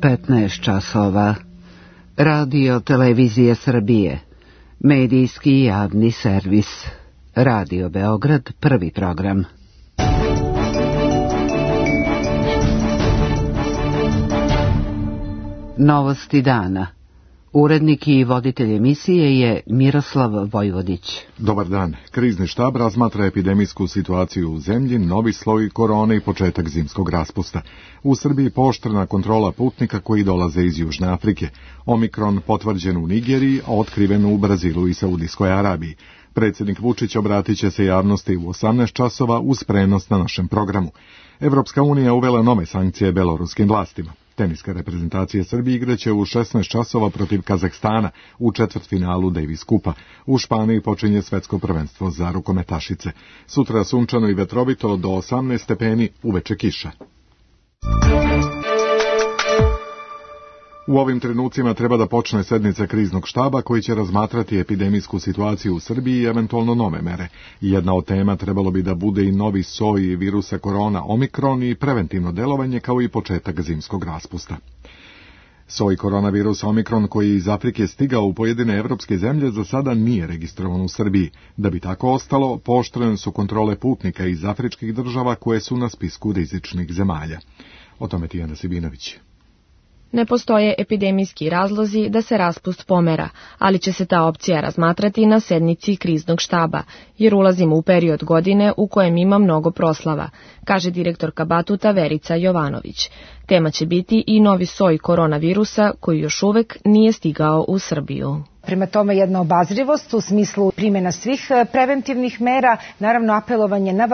15 časova. Radio Televizije Srbije. Medijski javni servis. Radio Beograd, prvi program. Novosti dana. Urednik i voditelj emisije je Miroslav Vojvodić. Dobar dan. Krizni štab razmatra epidemijsku situaciju u zemlji, novi sloj korone i početak zimskog raspusta. U Srbiji pooštrena kontrola putnika koji dolaze iz Južne Afrike. Omikron potvrđen u Nigeriji, a otkriven u Brazilu i Saudijskoj Arabiji. Predsjednik Vučić obratit će se javnosti u 18 časova uz prenos na našem programu. Evropska unija uvela nove sankcije beloruskim vlastima. Teniska reprezentacija Srbije igraće u 16 časova protiv Kazahstana u četvrtfinalu Davis Kupa. U Španiji počinje svetsko prvenstvo za rukometašice. Sutra sunčano i vetrovito do 18 stepeni, uveče kiša. U ovim trenucima treba da počne sednica kriznog štaba koji će razmatrati epidemijsku situaciju u Srbiji i eventualno nove mere. Jedna od tema trebalo bi da bude i novi soj virusa korona Omikron i preventivno delovanje kao i početak zimskog raspusta. Soj koronavirusa Omikron koji je iz Afrike stigao u pojedine evropske zemlje za sada nije registrovan u Srbiji. Da bi tako ostalo, pooštrene su kontrole putnika iz afričkih država koje su na spisku rizičnih zemalja. O tome Tijana Sibinović. Ne postoje epidemijski razlozi da se raspust pomera, ali će se ta opcija razmatrati na sednici kriznog štaba, jer ulazimo u period godine u kojem ima mnogo proslava, kaže direktorka Batuta Verica Jovanović. Tema će biti i novi soj koronavirusa koji još uvek nije stigao u Srbiju. Prema tome jedna obazrivost u smislu primjena svih preventivnih mera, naravno apelovanje na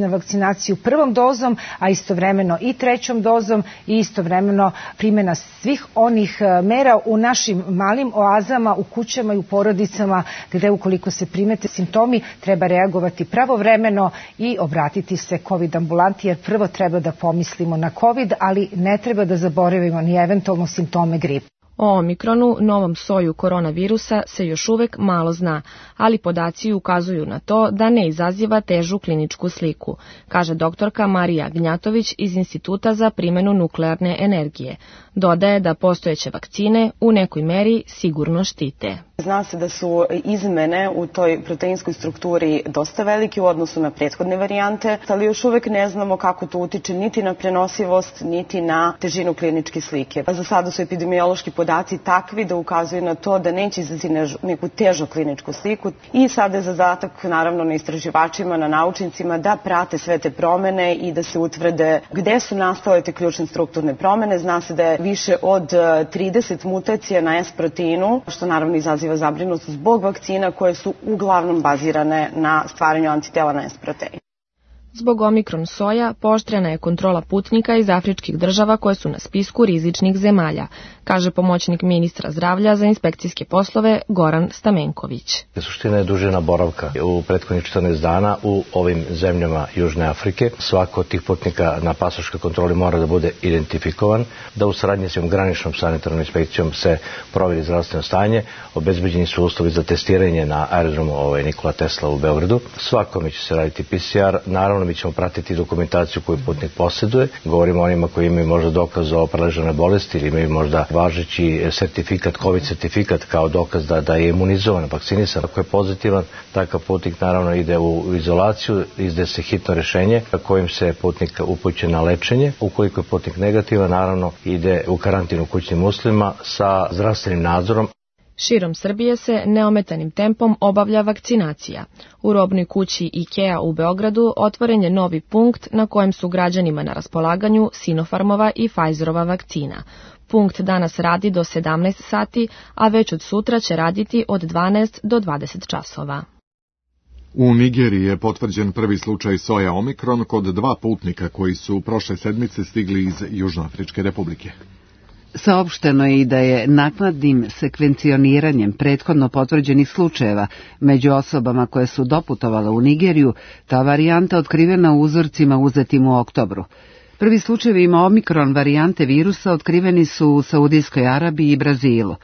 vakcinaciju prvom dozom, a istovremeno i trećom dozom i istovremeno primjena svih onih mera u našim malim oazama, u kućama i u porodicama gde ukoliko se primete simptomi treba reagovati pravovremeno i obratiti se COVID ambulanti jer prvo treba da pomislimo na COVID, ali ne treba da zaboravimo ni eventualno simptome gripa. O Omikronu, novom soju koronavirusa, se još uvek malo zna, ali podaci ukazuju na to da ne izaziva težu kliničku sliku, kaže doktorka Marija Gnjatović iz Instituta za primjenu nuklearne energije. Dodaje da postojeće vakcine u nekoj meri sigurno štite. Zna se da su izmene u toj proteinskoj strukturi dosta velike u odnosu na prethodne varijante, ali još uvek ne znamo kako to utiče niti na prenosivost, niti na težinu kliničke slike. Za sada su epidemiološki podaci takvi da ukazuju na to da neće izazvati neku težu kliničku sliku i sada je zadatak naravno na istraživačima, na naučnicima da prate sve te promene i da se utvrde gde su nastale te ključne strukturne promene. Zna se da je više od 30 mutacija na S proteinu, što naravno izaziva zabrinutost zbog vakcina koje su uglavnom bazirane na stvaranju antitela na S protein. Zbog Omikron soja pooštrena je kontrola putnika iz afričkih država koje su na spisku rizičnih zemalja, kaže pomoćnik ministra zdravlja za inspekcijske poslove Goran Stamenković. Suština je dužina boravka u prethodnih 14 dana u ovim zemljama Južne Afrike. Svako od tih putnika na pasoškoj kontroli mora da bude identifikovan, da u saradnji s graničnom sanitarnom inspekcijom se proveri zdravstveno stanje, obezbeđeni su uslovi za testiranje na aerodromu Nikola Tesla u Beogradu. Svakome će se raditi PCR, naravno mi ćemo pratiti dokumentaciju koju putnik posjeduje. Govorimo o onima koji imaju možda dokaz o preležane bolesti ili imaju možda važeći sertifikat, COVID sertifikat kao dokaz da je imunizovan, vakcinisan. Ako je pozitivan, takav putnik naravno ide u izolaciju, izdaje se hitno rješenje kojim se putnik upućuje na lečenje. Ukoliko je putnik negativan, naravno ide u karantin u kućnim uslovima sa zdravstvenim nadzorom. Širom Srbije se neometanim tempom obavlja vakcinacija. U robnoj kući IKEA u Beogradu otvoren je novi punkt na kojem su građanima na raspolaganju Sinopharmova i Pfizerova vakcina. Punkt danas radi do 17 sati, a već od sutra će raditi od 12 do 20 časova. U Nigeriji je potvrđen prvi slučaj soja Omikron kod 2 putnika koji su prošle sedmice stigli iz Južnoafričke republike. Saopšteno je i da je naknadnim sekvencioniranjem prethodno potvrđenih slučajeva među osobama koje su doputovale u Nigeriju ta varijanta otkrivena u uzorcima uzetim u oktobru. Prvi slučajevi omikron varijante virusa otkriveni su u Saudijskoj Arabiji i Brazilu.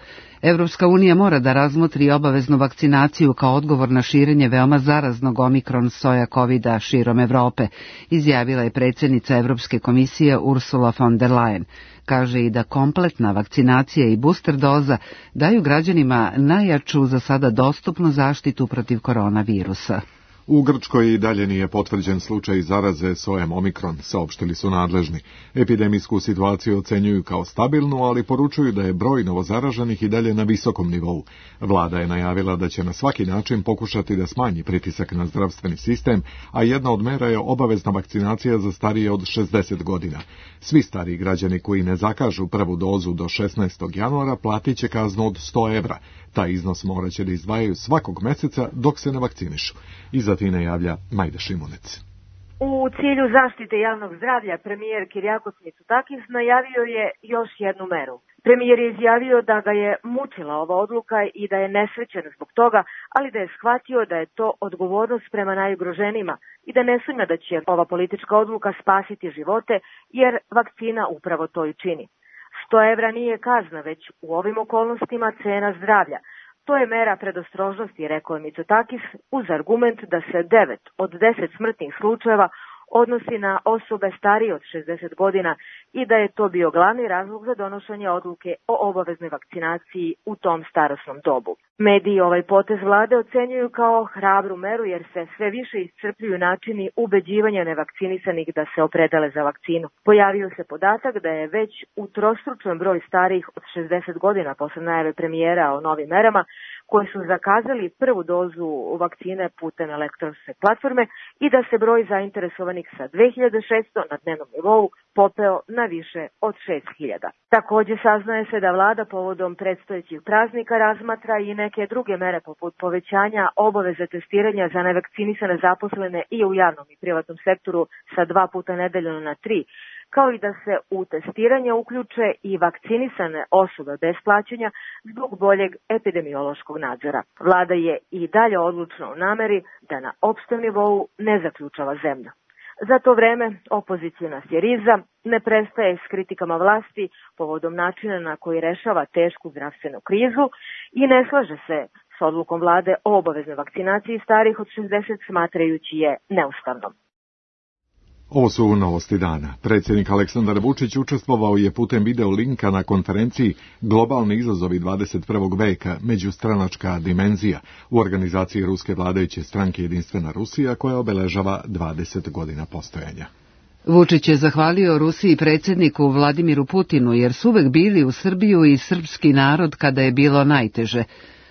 Evropska unija mora da razmotri obaveznu vakcinaciju kao odgovor na širenje veoma zaraznog omikron soja covida širom Evrope, izjavila je predsjednica Evropske komisije Ursula von der Leyen. Kaže i da kompletna vakcinacija i booster doza daju građanima najjaču za sada dostupnu zaštitu protiv koronavirusa. U Grčkoj i dalje nije potvrđen slučaj zaraze sojem omikron, saopštili su nadležni. Epidemijsku situaciju ocenjuju kao stabilnu, ali poručuju da je broj novozaraženih i dalje na visokom nivou. Vlada je najavila da će na svaki način pokušati da smanji pritisak na zdravstveni sistem, a jedna od mera je obavezna vakcinacija za starije od 60 godina. Svi stariji građani koji ne zakažu prvu dozu do 16. januara platit će kaznu od 100 evra. Taj iznos morat će da izdvajaju svakog meseca dok se ne vakcinišu. Iz Atine javlja Majda Šimunec. U cilju zaštite javnog zdravlja premijer Kyriakos Mitsotakis najavio je još jednu meru. Premijer je izjavio da ga je mučila ova odluka i da je nesrećen zbog toga, ali da je shvatio da je to odgovornost prema najugroženijima i da ne sumnja da će ova politička odluka spasiti živote, jer vakcina upravo to i čini. 100 evra nije kazna, već u ovim okolnostima cena zdravlja. To je mera predostrožnosti, rekao je Mitsotakis, uz argument da se 9 od 10 smrtnih slučajeva odnosi na osobe starije od 60 godina i da je to bio glavni razlog za donošenje odluke o obaveznoj vakcinaciji u tom starosnom dobu. Mediji ovaj potez vlade ocenjuju kao hrabru meru jer se sve više iscrpljuju načini ubeđivanja nevakcinisanih da se opredele za vakcinu. Pojavio se podatak da je već utrostručen broj starijih od 60 godina posle najave premijera o novim merama koji su zakazali prvu dozu vakcine putem elektronske platforme i da se broj zainteresovanih sa 2600 na dnevnom nivou popeo na više od 6000. Također saznaje se da vlada povodom predstojećih praznika razmatra i neke druge mere poput povećanja obaveze testiranja za nevakcinisane zaposlene i u javnom i privatnom sektoru sa 2 puta nedeljno na 3, kao i da se u testiranje uključe i vakcinisane osobe bez plaćanja zbog boljeg epidemiološkog nadzora. Vlada je i dalje odlučna u nameri da na opštem nivou ne zaključava zemlju. Za to vreme opozicijna Syriza ne prestaje s kritikama vlasti povodom načina na koji rešava tešku zdravstvenu krizu i ne slaže se s odlukom vlade o obaveznoj vakcinaciji starih od 60, smatrajući je neustavnom. Ovo su novosti dana. Predsjednik Aleksandar Vučić učestvovao je putem video linka na konferenciji Globalni izazovi 21. veka, međustranačka dimenzija, u organizaciji ruske vladajuće stranke Jedinstvena Rusija koja obeležava 20 godina postojanja. Vučić je zahvalio Rusiji predsjedniku Vladimiru Putinu jer su uvek bili u Srbiju i srpski narod kada je bilo najteže.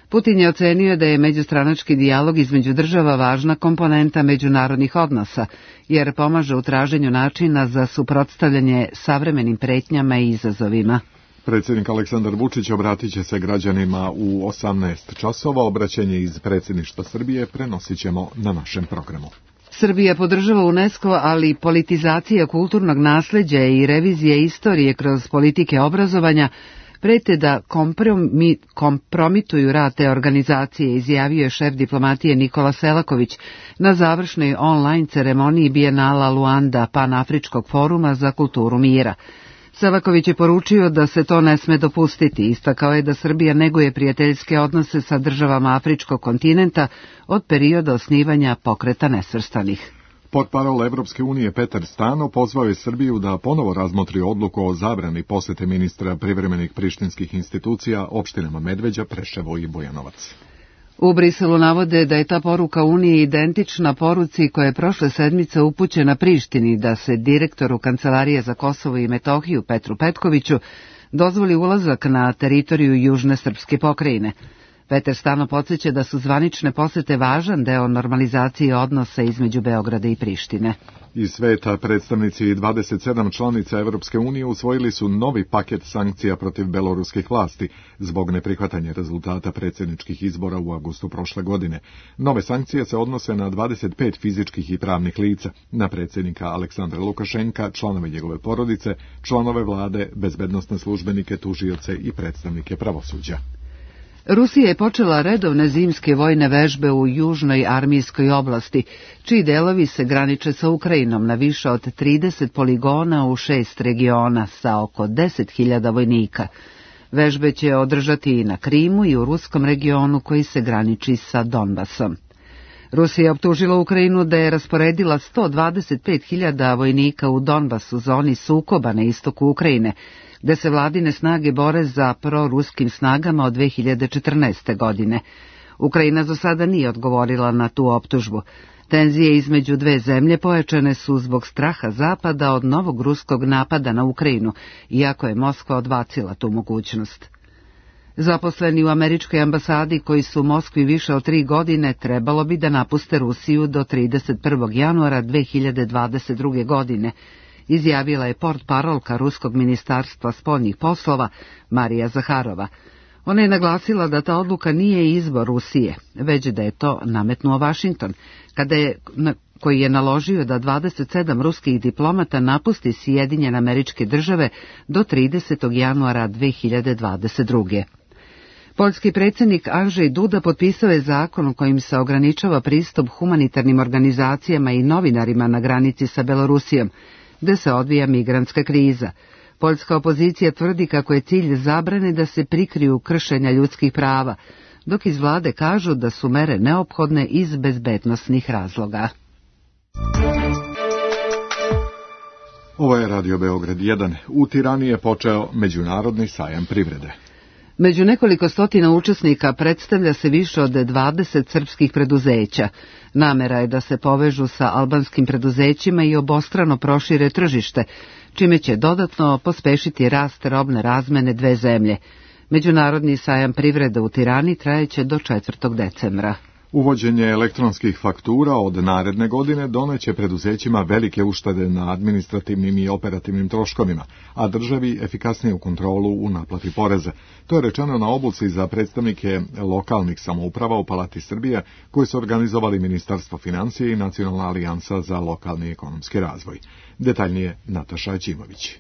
Putin je ocenio da je međustranački dijalog između država važna komponenta međunarodnih odnosa, jer pomaže u traženju načina za suprotstavljanje savremenim pretnjama i izazovima. Predsjednik Aleksandar Vučić obratit će se građanima u 18 časova. Obraćanje iz predsjedništva Srbije prenosit ćemo na našem programu. Srbija podržava UNESCO, ali politizacija kulturnog nasleđa i revizije istorije kroz politike obrazovanja prete da kompromituju rad te organizacije, izjavio je šef diplomatije Nikola Selaković na završnoj online ceremoniji Bijenala Luanda Panafričkog foruma za kulturu mira. Selaković je poručio da se to ne sme dopustiti, istakao je da Srbija neguje prijateljske odnose sa državama afričkog kontinenta od perioda osnivanja Pokreta nesvrstanih. Portparol Evropske unije Petar Stano pozvao je Srbiju da ponovo razmotri odluku o zabrani posete ministra privremenih prištinskih institucija opštinama Medveđa, Preševo i Bujanovac. U Briselu navode da je ta poruka Unije identična poruci koja je prošle sedmice upućena Prištini da se direktoru Kancelarije za Kosovo i Metohiju Petru Petkoviću dozvoli ulazak na teritoriju južne srpske pokrajine. Petar Stano podsjeća da su zvanične posete važan deo normalizacije odnosa između Beograda i Prištine. Iz sveta predstavnici 27 članica Evropske unije usvojili su novi paket sankcija protiv beloruskih vlasti zbog neprihvatanja rezultata predsjedničkih izbora u avgustu prošle godine. Nove sankcije se odnose na 25 fizičkih i pravnih lica, na predsjednika Aleksandra Lukašenka, članove njegove porodice, članove vlade, bezbednosne službenike, tužioce i predstavnike pravosuđa. Rusija je počela redovne zimske vojne vežbe u južnoj armijskoj oblasti, čiji delovi se graniče sa Ukrajinom na više od 30 poligona u 6 regiona sa oko 10.000 vojnika. Vežbe će održati i na Krimu i u ruskom regionu koji se graniči sa Donbasom. Rusija je optužila Ukrajinu da je rasporedila 125.000 vojnika u Donbasu, zoni sukoba na istoku Ukrajine, gde se vladine snage bore za proruskim snagama od 2014. godine. Ukrajina za sada nije odgovorila na tu optužbu. Tenzije između dve zemlje pojačane su zbog straha Zapada od novog ruskog napada na Ukrajinu, iako je Moskva odbacila tu mogućnost. Zaposleni u američkoj ambasadi koji su u Moskvi više od 3 godine trebalo bi da napuste Rusiju do 31. januara 2022. godine, izjavila je portparolka Ruskog ministarstva spoljnih poslova Marija Zaharova. Ona je naglasila da ta odluka nije izbor Rusije, već da je to nametnuo Vašington, koji je naložio da 27 ruskih diplomata napusti Sjedinjene Američke Države do 30. januara 2022. Poljski predsjednik Andrzej Duda potpisao je zakon kojim se ograničava pristup humanitarnim organizacijama i novinarima na granici sa Belorusijom, gde se odvija migrantska kriza. Poljska opozicija tvrdi kako je cilj zabrane da se prikriju kršenja ljudskih prava, dok iz vlade kažu da su mere neophodne iz bezbednosnih razloga. Ovo je Radio Beograd 1. U Tirani je počeo Međunarodni sajam privrede. Među nekoliko stotina učesnika predstavlja se više od 20 srpskih preduzeća. Namera je da se povežu sa albanskim preduzećima i obostrano prošire tržište, čime će dodatno pospešiti rast robne razmene dve zemlje. Međunarodni sajam privrede u Tirani trajeće do 4. decembra. Uvođenje elektronskih faktura od naredne godine doneće preduzećima velike uštede na administrativnim i operativnim troškovima, a državi efikasniju kontrolu u naplati poreza. To je rečeno na obuci za predstavnike lokalnih samouprava u Palati Srbije, koji su organizovali Ministarstvo financija i Nacionalna alijansa za lokalni ekonomski razvoj. Detaljnije Nataša Aćimović.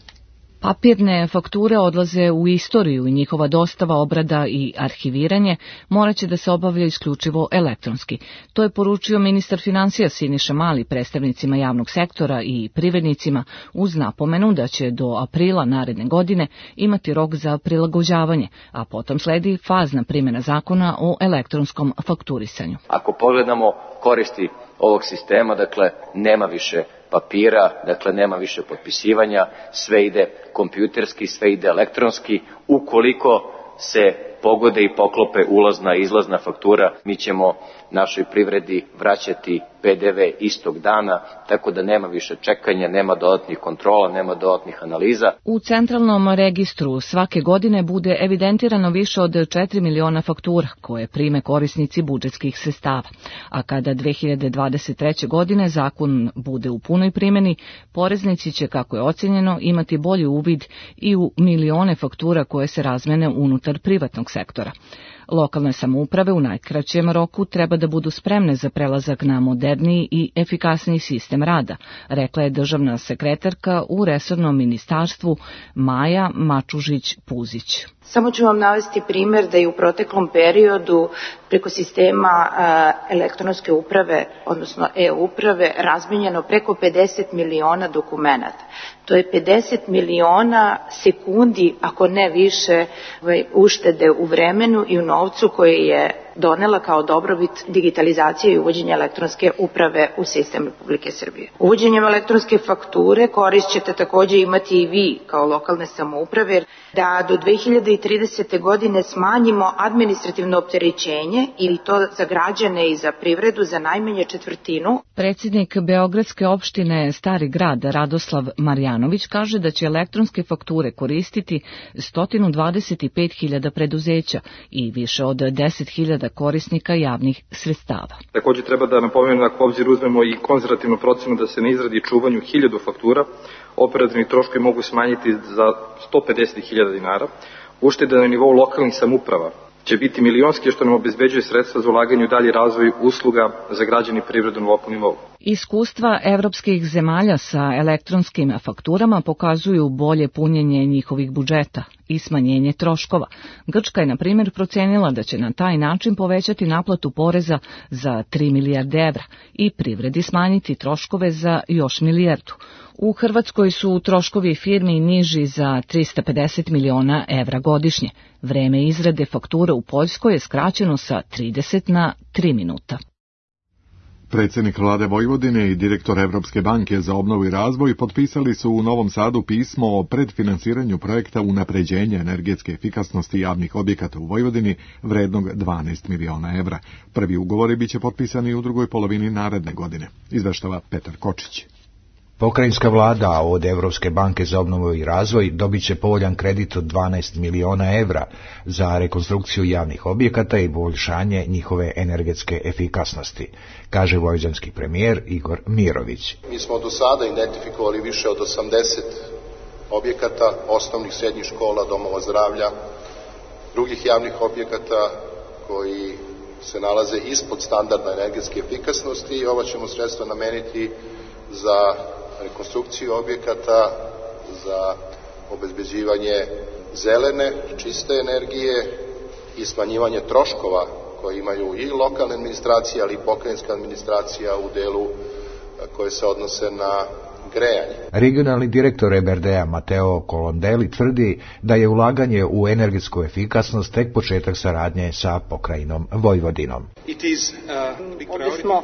Papirne fakture odlaze u istoriju i njihova dostava, obrada i arhiviranje morat će da se obavlja isključivo elektronski. To je poručio ministar financija Siniša Mali predstavnicima javnog sektora i privrednicima uz napomenu da će do aprila naredne godine imati rok za prilagođavanje, a potom sledi fazna primjena zakona o elektronskom fakturisanju. Ako pogledamo koristi ovog sistema, dakle, nema više papira, dakle, nema više potpisivanja, sve ide kompjuterski, sve ide elektronski. Ukoliko se pogode i poklope ulazna i izlazna faktura, mi ćemo našoj privredi vraćati PDV istog dana, tako da nema više čekanja, nema dodatnih kontrola, nema dodatnih analiza. U centralnom registru svake godine bude evidentirano više od 4 miliona faktura koje prime korisnici budžetskih sredstava, a kada 2023. godine zakon bude u punoj primjeni, poreznici će, kako je ocenjeno, imati bolji uvid i u milione faktura koje se razmene unutar privatnog sektora. Lokalne samouprave u najkraćem roku treba da budu spremne za prelazak na moderniji i efikasniji sistem rada, rekla je državna sekretarka u resornom ministarstvu Maja Mačužić-Puzić. Samo ću vam navesti primjer da je u proteklom periodu preko sistema elektronske uprave, odnosno e-uprave, razmenjeno preko 50 miliona dokumenata. To je 50 miliona sekundi, ako ne više, uštede u vremenu i u novcu koje je donela kao dobrobit digitalizacije i uvođenja elektronske uprave u sistem Republike Srbije. Uvođenjem elektronske fakture korist ćete također imati i vi kao lokalne samouprave da do 2030. godine smanjimo administrativno opterećenje ili to za građane i za privredu za najmanje četvrtinu. Predsjednik Beogradske opštine Stari grad Radoslav Marjanović kaže da će elektronske fakture koristiti 125.000 preduzeća i više od 10.000 korisnika javnih sredstava. Također treba da napomenem, ako u obzir uzmemo i konzervativnu procenu da se na izradi i čuvanju 1000 faktura, operativni troškovi mogu smanjiti za 150.000 dinara. Uštede na nivou lokalnih samouprava će biti milionski, što nam obezbeđuje sredstva za ulaganje u dalji razvoj usluga za građani privredu na lokalnom nivou. Iskustva evropskih zemalja sa elektronskim fakturama pokazuju bolje punjenje njihovih budžeta i smanjenje troškova. Grčka je, na primjer, procenila da će na taj način povećati naplatu poreza za 3 milijarde evra i privredi smanjiti troškove za još milijardu. U Hrvatskoj su troškovi firmi niži za 350 miliona evra godišnje. Vreme izrade fakture u Poljskoj je skraćeno sa 30 na 3 minuta. Predsjednik vlade Vojvodine i direktor Evropske banke za obnovu i razvoj potpisali su u Novom Sadu pismo o predfinansiranju projekta unapređenja energetske efikasnosti javnih objekata u Vojvodini vrednog 12 miliona evra. Prvi ugovori biće potpisani u drugoj polovini naredne godine, izveštava Petar Kočić. Pokrajinska vlada od Evropske banke za obnovu i razvoj dobit će povoljan kredit od 12 miliona evra za rekonstrukciju javnih objekata i poboljšanje njihove energetske efikasnosti, kaže vojvođanski premijer Igor Mirović. Mi smo do sada identifikovali više od 80 objekata, osnovnih, srednjih škola, domova zdravlja, drugih javnih objekata koji se nalaze ispod standarda energetske efikasnosti i ova ćemo sredstva nameniti za rekonstrukciju objekata, za obezbeđivanje zelene, čiste energije i smanjivanje troškova koje imaju i lokalne administracije, ali i pokrajinska administracija u delu koje se odnose na grejanje. Regionalni direktor EBRD-a Mateo Colondeli tvrdi da je ulaganje u energetsku efikasnost tek početak saradnje sa pokrajinom Vojvodinom. Ovdje smo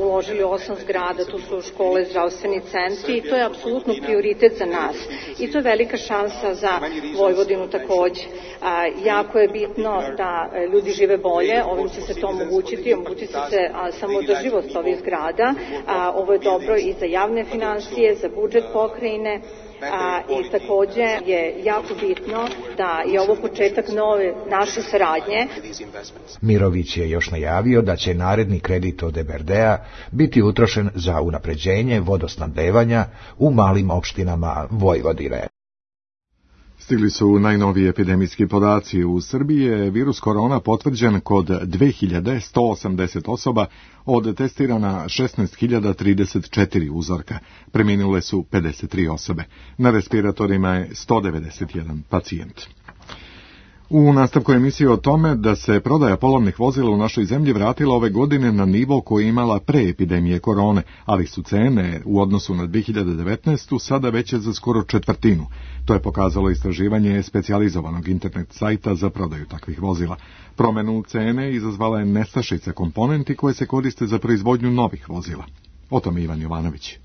uložili 8 zgrada, tu su škole, zdravstveni centri i to je apsolutno prioritet za nas. I to je velika šansa za Vojvodinu takođe. Jako je bitno da ljudi žive bolje, ovim će se to omogućiti se samoodrživost ovih zgrada. Ovo je dobro i za javne finansije, za budžet pokrajine i takođe je jako bitno da je ovo početak nove naše saradnje. Mirović je još najavio da će naredni kredit od EBRD-a biti utrošen za unapređenje vodosnabdevanja u malim opštinama Vojvodine. Stigli su najnoviji epidemijski podaci. U Srbiji je virus korona potvrđen kod 2180 osoba od testirana 16.034 uzorka. Preminule su 53 osobe. Na respiratorima je 191 pacijent. U nastavku emisije o tome da se prodaja polovnih vozila u našoj zemlji vratila ove godine na nivo koji je imala pre epidemije korone, ali su cene u odnosu na 2019. sada veće za skoro četvrtinu. To je pokazalo istraživanje specijalizovanog internet sajta za prodaju takvih vozila. Promenu cene izazvala je nestašica komponenti koje se koriste za proizvodnju novih vozila. O tome Ivan Jovanović.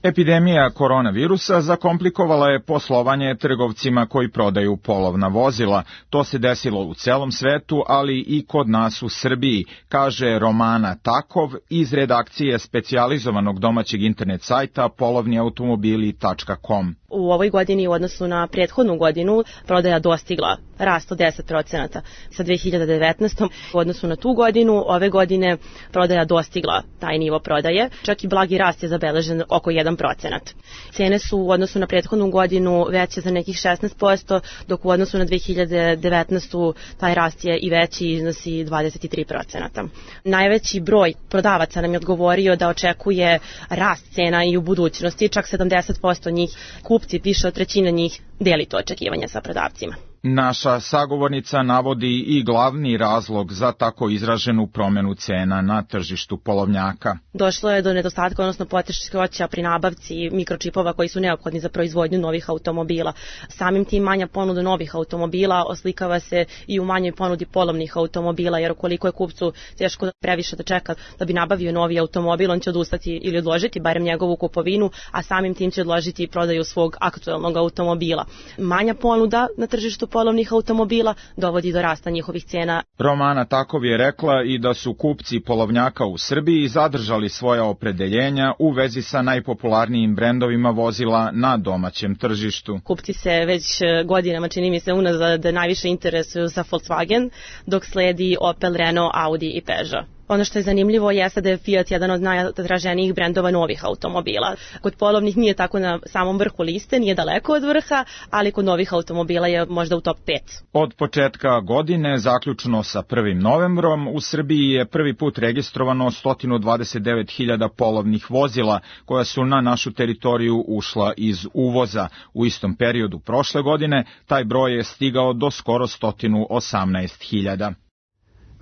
Epidemija koronavirusa zakomplikovala je poslovanje trgovcima koji prodaju polovna vozila. To se desilo u celom svetu, ali i kod nas u Srbiji, kaže Romana Takov iz redakcije specijalizovanog domaćeg internet sajta polovniautomobili.com. U ovoj godini u odnosu na prethodnu godinu prodaja dostigla rast od 10%. Sa 2019. u odnosu na tu godinu, ove godine prodaja dostigla taj nivo prodaje. Čak i blagi rast je zabeležen oko 1%. Cene su u odnosu na prethodnu godinu veće za nekih 16%, dok u odnosu na 2019. taj rast je i veći, iznosi 23%. Najveći broj prodavaca nam je odgovorio da očekuje rast cena i u budućnosti, čak 70% njih kupci, više od trećine njih deli to očekivanje sa prodavcima. Naša sagovornica navodi i glavni razlog za tako izraženu promenu cena na tržištu polovnjaka. Došlo je do nedostatka, odnosno poteškoća pri nabavci mikročipova koji su neophodni za proizvodnju novih automobila. Samim tim manja ponuda novih automobila oslikava se i u manjoj ponudi polovnih automobila, jer ukoliko je kupcu teško previše da čeka da bi nabavio novi automobil, on će odustati ili odložiti barem njegovu kupovinu, a samim tim će odložiti i prodaju svog aktuelnog automobila. Manja ponuda na tržištu polovnih automobila dovodi do rasta njihovih cena. Romana Takov je rekla i da su kupci polovnjaka u Srbiji zadržali svoja opredeljenja u vezi sa najpopularnijim brendovima vozila na domaćem tržištu. Kupci se već godinama, čini mi se, unazad najviše interesuju za Volkswagen, dok sledi Opel, Renault, Audi i Peugeot. Ono što je zanimljivo jeste da je Fiat jedan od najtraženijih brendova novih automobila. Kod polovnih nije tako na samom vrhu liste, nije daleko od vrha, ali kod novih automobila je možda u top 5. Od početka godine, zaključno sa 1. novembrom, u Srbiji je prvi put registrovano 129.000 polovnih vozila koja su na našu teritoriju ušla iz uvoza. U istom periodu prošle godine taj broj je stigao do skoro 118.000.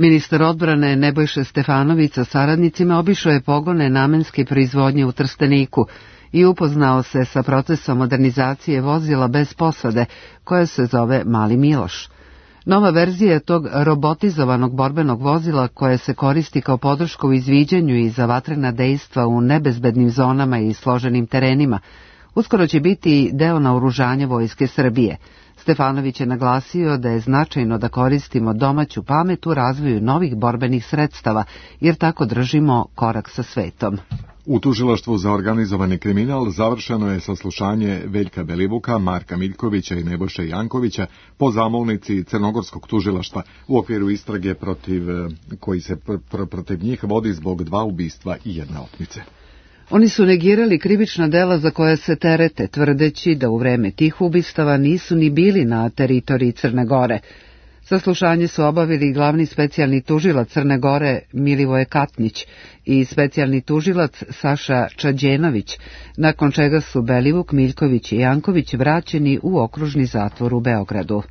Ministar odbrane Nebojša Stefanović sa saradnicima obišao je pogone namenske proizvodnje u Trsteniku i upoznao se sa procesom modernizacije vozila bez posade, koja se zove Mali Miloš. Nova verzija tog robotizovanog borbenog vozila koje se koristi kao podrška u izviđanju i za vatrena dejstva u nebezbednim zonama i složenim terenima, uskoro će biti deo naoružanja Vojske Srbije. Stefanović je naglasio da je značajno da koristimo domaću pamet u razvoju novih borbenih sredstava, jer tako držimo korak sa svetom. U tužilaštvu za organizovani kriminal završeno je saslušanje Veljka Belivuka, Marka Miljkovića i Nebojše Jankovića po zamolnici Crnogorskog tužilaštva u okviru istrage koji se protiv njih vodi zbog 2 ubistva i 1 otmice. Oni su negirali krivična dela za koje se terete, tvrdeći da u vreme tih ubistava nisu ni bili na teritoriji Crne Gore. Saslušanje su obavili glavni specijalni tužilac Crne Gore Milivoje Katnić i specijalni tužilac Saša Čađenović, nakon čega su Belivuk, Miljković i Janković vraćeni u okružni zatvor u Beogradu.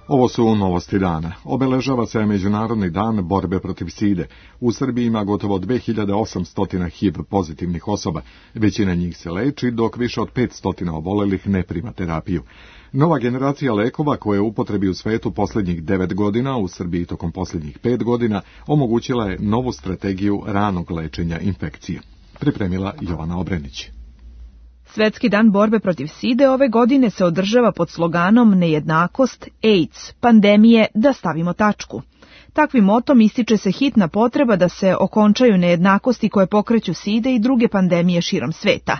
Ovo su novosti dana. Obeležava se Međunarodni dan borbe protiv side. U Srbiji ima gotovo 2800 HIV pozitivnih osoba. Većina njih se leči, dok više od 500 obolelih ne prima terapiju. Nova generacija lekova koja je u upotrebi u svetu posljednjih 9 godina, u Srbiji tokom posljednjih 5 godina, omogućila je novu strategiju ranog lečenja infekcije. Pripremila Jovana Obrenić. Svetski dan borbe protiv side ove godine se održava pod sloganom Nejednakost, AIDS, pandemije, da stavimo tačku. Takvim motom ističe se hitna potreba da se okončaju nejednakosti koje pokreću side i druge pandemije širom sveta.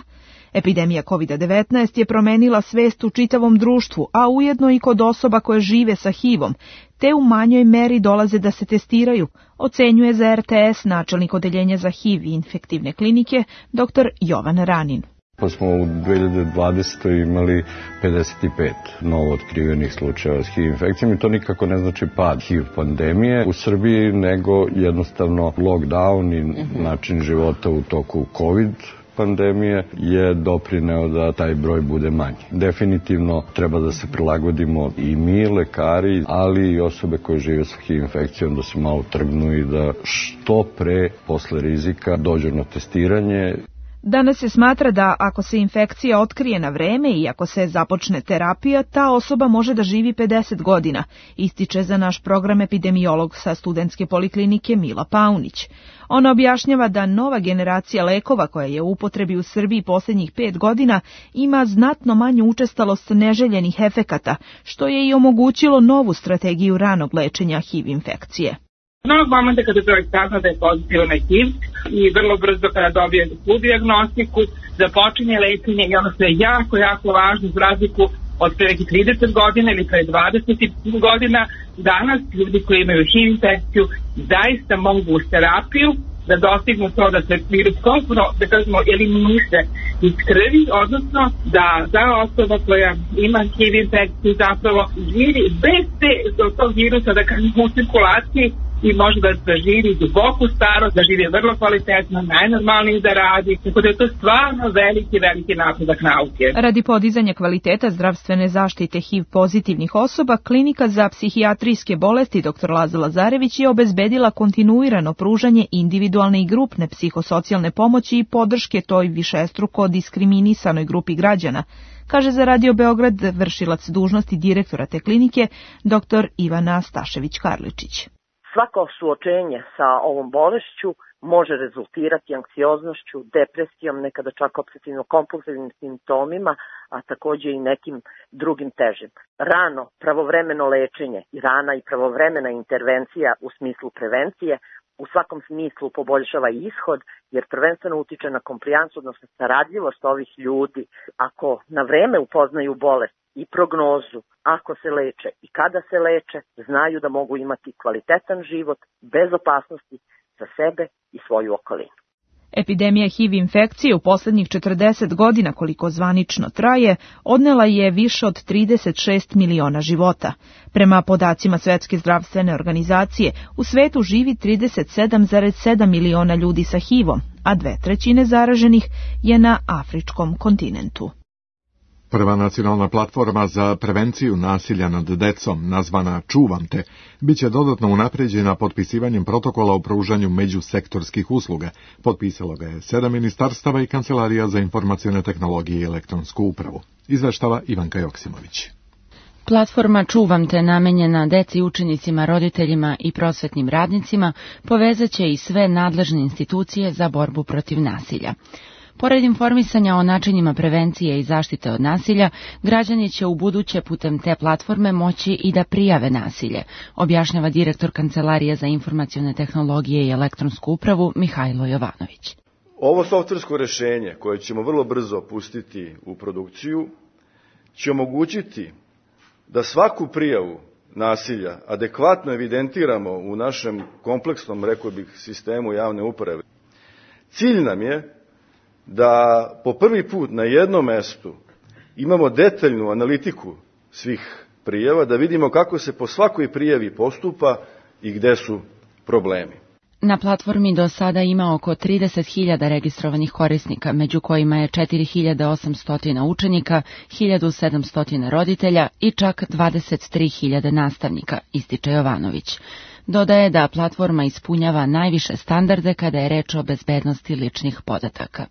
Epidemija COVID-19 je promenila svest u čitavom društvu, a ujedno i kod osoba koje žive sa HIV-om, te u manjoj meri dolaze da se testiraju, ocenjuje za RTS načelnik odeljenja za HIV i infektivne klinike, dr. Jovan Ranin. Pa smo u 2020. imali 55 novo otkrivenih slučajeva s HIV infekcijom i to nikako ne znači pad HIV pandemije u Srbiji, nego jednostavno lockdown i način života u toku COVID pandemije je doprineo da taj broj bude manji. Definitivno treba da se prilagodimo i mi, lekari, ali i osobe koje žive sa HIV infekcijom da se malo trgnu i da što pre posle rizika dođu na testiranje. Danas se smatra da ako se infekcija otkrije na vreme i ako se započne terapija, ta osoba može da živi 50 godina, ističe za naš program epidemiolog sa studentske poliklinike Mila Paunić. Ona objašnjava da nova generacija lekova koja je u upotrebi u Srbiji posljednjih 5 godina ima znatno manju učestalost neželjenih efekata, što je i omogućilo novu strategiju ranog lečenja HIV infekcije. Onog momenta kada čovjek sazna da je pozitivan na HIV i vrlo brzo kada dobije tu dijagnostiku, započinje lečenje i ono što je jako važno za razliku od pre nekih 30 godina ili pre 20 godina, danas ljudi koji imaju HIV infekciju zaista mogu uz terapiju da dostignu to da se virus kompletno, da kažemo, eliminiše iz krvi, odnosno da ta osoba koja ima HIV infekciju zapravo živi bez tog virusa, da kažemo, u cirkulaciji i može da živi duboku starost, da živi vrlo kvalitetno, najnormalnije da radi, tako da je to stvarno veliki napredak nauke. Radi podizanja kvaliteta zdravstvene zaštite HIV pozitivnih osoba, Klinika za psihijatrijske bolesti dr. Laza Lazarević je obezbedila kontinuirano pružanje individualne i grupne psihosocijalne pomoći i podrške toj višestruko diskriminisanoj grupi građana, kaže za Radio Beograd vršilac dužnosti direktora te klinike dr. Ivana Stašević-Karličić. Svako suočenje sa ovom bolešću može rezultirati anksioznošću, depresijom, nekada čak obsesivno-kompulsivnim simptomima, a takođe i nekim drugim težim. Rano, pravovremeno lečenje i rana i pravovremena intervencija u smislu prevencije u svakom smislu poboljšava ishod, jer prvenstveno utiče na komplijansu, odnosno saradljivost ovih ljudi. Ako na vreme upoznaju bolest i prognozu, ako se leče i kada se leče, znaju da mogu imati kvalitetan život bez opasnosti za sebe i svoju okolinu. Epidemija HIV infekcije u poslednjih 40 godina, koliko zvanično traje, odnela je više od 36 miliona života. Prema podacima Svetske zdravstvene organizacije, u svetu živi 37,7 miliona ljudi sa HIV-om, a 2/3 zaraženih je na afričkom kontinentu. Prva nacionalna platforma za prevenciju nasilja nad decom, nazvana Čuvam te, biće dodatno unapređena potpisivanjem protokola o pružanju međusektorskih usluga. Potpisalo ga je 7 ministarstava i Kancelarija za informacione tehnologije i elektronsku upravu. Izveštava Ivanka Joksimović. Platforma Čuvam te, namenjena deci, učenicima, roditeljima i prosvetnim radnicima, povezaće i sve nadležne institucije za borbu protiv nasilja. Pored informisanja o načinima prevencije i zaštite od nasilja, građani će u buduće putem te platforme moći i da prijave nasilje, objašnjava direktor Kancelarije za informacione tehnologije i elektronsku upravu Mihajlo Jovanović. Ovo softversko rešenje, koje ćemo vrlo brzo pustiti u produkciju, će omogućiti da svaku prijavu nasilja adekvatno evidentiramo u našem kompleksnom, rekao bih, sistemu javne uprave. Cilj nam je da po prvi put na jednom mestu imamo detaljnu analitiku svih prijava, da vidimo kako se po svakoj prijavi postupa i gde su problemi. Na platformi do sada ima oko 30.000 registrovanih korisnika, među kojima je 4.800 učenika, 1.700 roditelja i čak 23.000 nastavnika, ističe Jovanović. Dodaje da platforma ispunjava najviše standarde kada je reč o bezbednosti ličnih podataka.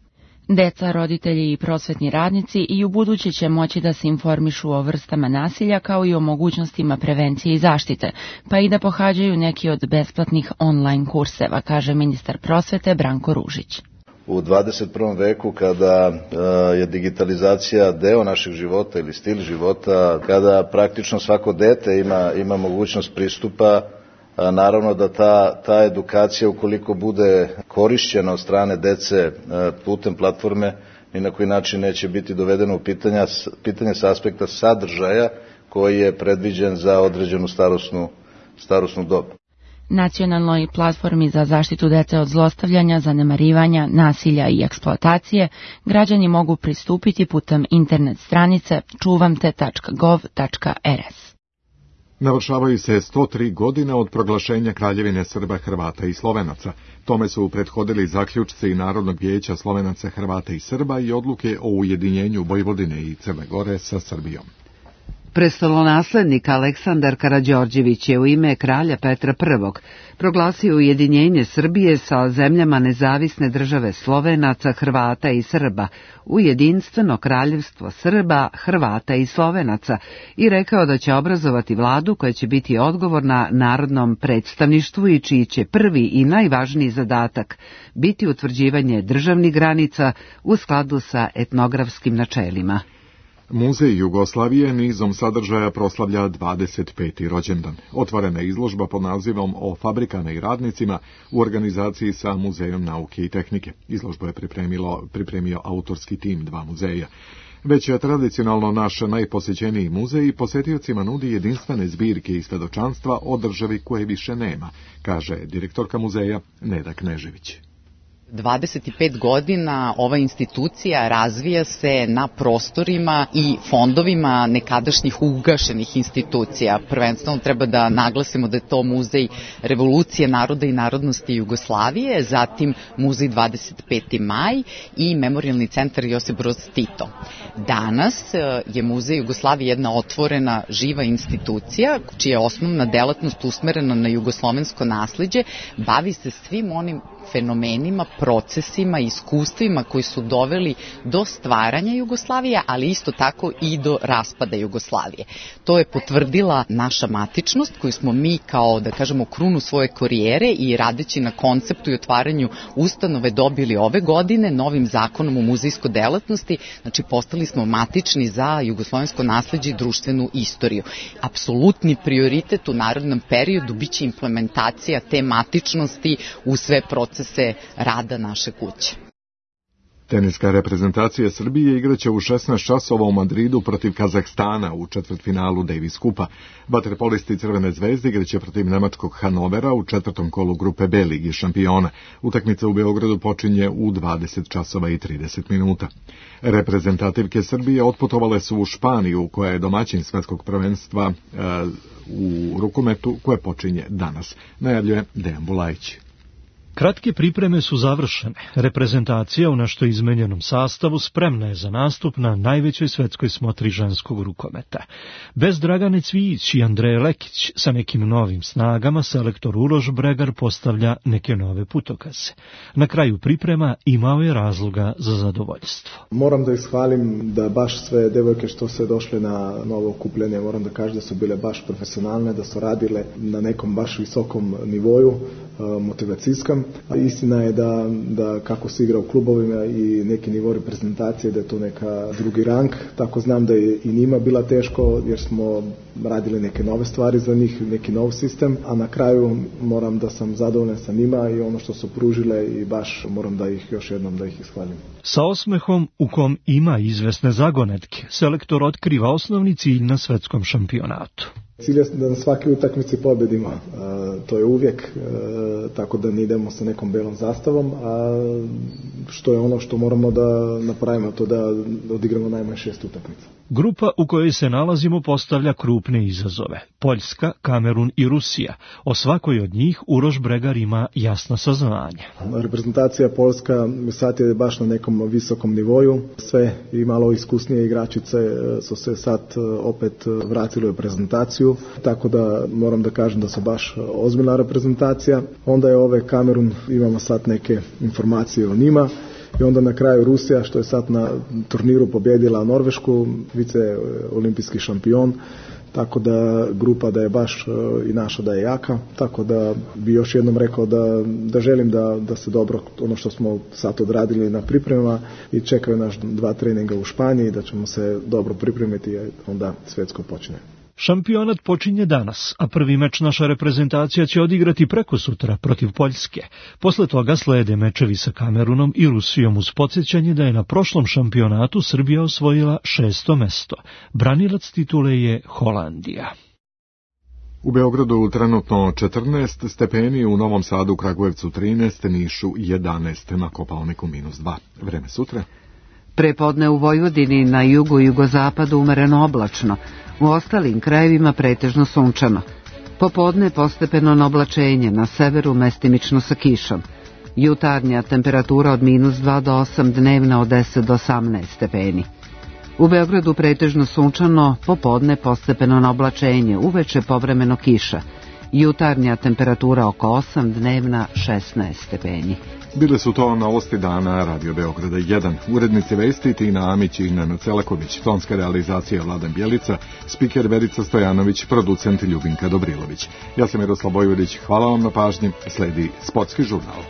Deca, roditelji i prosvetni radnici i u buduće će moći da se informišu o vrstama nasilja kao i o mogućnostima prevencije i zaštite, pa i da pohađaju neki od besplatnih online kurseva, kaže ministar prosvete Branko Ružić. U 21. veku, kada je digitalizacija deo našeg života ili stil života, kada praktično svako dete ima mogućnost pristupa, naravno da ta edukacija, ukoliko bude korišćena od strane dece putem platforme, ni na koji način neće biti dovedeno u pitanje sa aspekta sadržaja koji je predviđen za određenu starosnu dob. Nacionalnoj platformi za zaštitu dece od zlostavljanja, zanemarivanja, nasilja i eksploatacije građani mogu pristupiti putem internet stranice čuvamte.gov.rs. Navršavaju se 103 godine od proglašenja Kraljevine Srba, Hrvata i Slovenaca. Tome su prethodili zaključci Narodnog vijeća Slovenaca, Hrvata i Srba i odluke o ujedinjenju Vojvodine i Crne Gore sa Srbijom. Prestolonaslednik Aleksandar Karađorđević je u ime kralja Petra I proglasio ujedinjenje Srbije sa zemljama nezavisne države Slovenaca, Hrvata i Srba u jedinstveno kraljevstvo Srba, Hrvata i Slovenaca i rekao da će obrazovati vladu koja će biti odgovorna narodnom predstavništvu i čiji će prvi i najvažniji zadatak biti utvrđivanje državnih granica u skladu sa etnografskim načelima. Muzej Jugoslavije nizom sadržaja proslavlja 25. rođendan. Otvorena je izložba pod nazivom O fabrikama i radnicima u organizaciji sa Muzejom nauke i tehnike. Izložbu je pripremio autorski tim 2 muzeja. Već je tradicionalno naš najposećeniji muzej i posetiocima nudi jedinstvene zbirke i svedočanstva o državi koje više nema, kaže direktorka muzeja Neda Knežević. 25 godina ova institucija razvija se na prostorima i fondovima nekadašnjih ugašenih institucija. Prvenstveno treba da naglasimo da je to Muzej Revolucije naroda i narodnosti Jugoslavije, zatim Muzej 25. maj i Memorijalni centar Josip Broz Tito. Danas je Muzej Jugoslavije jedna otvorena, živa institucija, čija je osnovna delatnost usmerena na jugoslovensko nasleđe, bavi se svim onim fenomenima, procesima, iskustvima koji su doveli do stvaranja Jugoslavije, ali isto tako i do raspada Jugoslavije. To je potvrdila naša matičnost koju smo mi kao, da kažemo, krunu svoje karijere i radeći na konceptu i otvaranju ustanove dobili ove godine novim zakonom o muzejskoj delatnosti, znači postali smo matični za jugoslovensko nasleđe i društvenu istoriju. Apsolutni prioritet u narednom periodu biće implementacija te matičnosti u sve procese rada naše kuće. Teniska reprezentacija Srbije igraće u 16 časova u Madridu protiv Kazahstana u četvrtfinalu Davis Kupa. Vaterpolisti Crvene zvezde igraće protiv nemačkog Hanovera u četvrtom kolu grupe B Ligi šampiona. Utakmica u Beogradu počinje u 20 časova i 30 minuta. Reprezentativke Srbije otputovale su u Španiju, koja je domaćin svetskog prvenstva u rukometu koje počinje danas. Najavljuje Dejan Bulajić. Kratke pripreme su završene. Reprezentacija u nešto izmenjenom sastavu spremna je za nastup na najvećoj svetskoj smotri ženskog rukometa. Bez Dragane Cvijić i Andreje Lekić sa nekim novim snagama selektor Uroš Bregar postavlja neke nove putokaze. Na kraju priprema imao je razloga za zadovoljstvo. Moram da ishvalim da baš sve devojke što se došle na novo okupljanje, moram da kažem da su bile baš profesionalne, da su radile na nekom baš visokom nivoju, motivacijskom. Istina je da kako se igra u klubovima i neki nivo reprezentacije, da je to neka drugi rang, tako znam da je i njima bila teško jer smo radili neke nove stvari za njih, neki nov sistem, a na kraju moram da sam zadovoljan sa njima i ono što su pružile i baš moram da ih još jednom da ih ishvalim. Sa osmehom u kom ima izvesne zagonetke, selektor otkriva osnovni cilj na svetskom šampionatu. Cilj je da na svake utakmici pobedimo, to je uvijek, tako da ne idemo sa nekom belom zastavom, a što je ono što moramo da napravimo, to da odigramo najmanje 6 utakmica. Grupa u kojoj se nalazimo postavlja krupne izazove. Poljska, Kamerun i Rusija. O svakoj od njih Uroš Bregar ima jasno saznanje. Reprezentacija Poljska sad je baš na nekom visokom nivoju. Sve i malo iskusnije igračice su se sad opet vratili u reprezentaciju, tako da moram da kažem da su baš ozbiljna reprezentacija. Onda je Kamerun, imamo sad neke informacije o njima. I onda na kraju Rusija, što je sad na turniru pobjedila Norvešku, vice olimpijski šampion, tako da grupa da je baš i naša da je jaka, tako da bi još jednom rekao da želim da se dobro, ono što smo sad odradili na pripremama i čekaju naš 2 treninga u Španiji, da ćemo se dobro pripremiti i onda svetsko počne. Šampionat počinje danas, a prvi meč naša reprezentacija će odigrati prekosutra protiv Poljske. Posle toga slede mečevi sa Kamerunom i Rusijom uz podsjećanje da je na prošlom šampionatu Srbija osvojila 6. mesto. Branilac titule je Holandija. U Beogradu trenutno 14 stepeni, u Novom Sadu, Kragujevcu 13, Nišu 11, na Kopaoniku -2. Vreme sutra. Prepodne u Vojvodini, na jugu i jugozapadu umereno oblačno, u ostalim krajevima pretežno sunčano. Popodne postepeno oblačenje, na severu mestimično sa kišom. Jutarnja temperatura od -2 do 8, dnevna od 10 do 18 stepeni. U Beogradu pretežno sunčano, popodne postepeno oblačenje, uveče povremeno kiša. Jutarnja temperatura oko 8, dnevna 16 stepeni. Bile su to novosti dana Radio Beograda 1. Urednici vesti Tina Amić i Nenad Celaković, tonska realizacija Vladan Bjelica, spiker Verica Stojanović, producent Ljubinka Dobrilović. Ja sam Miroslav Bojvodić, hvala vam na pažnji, sledi Sportski žurnal.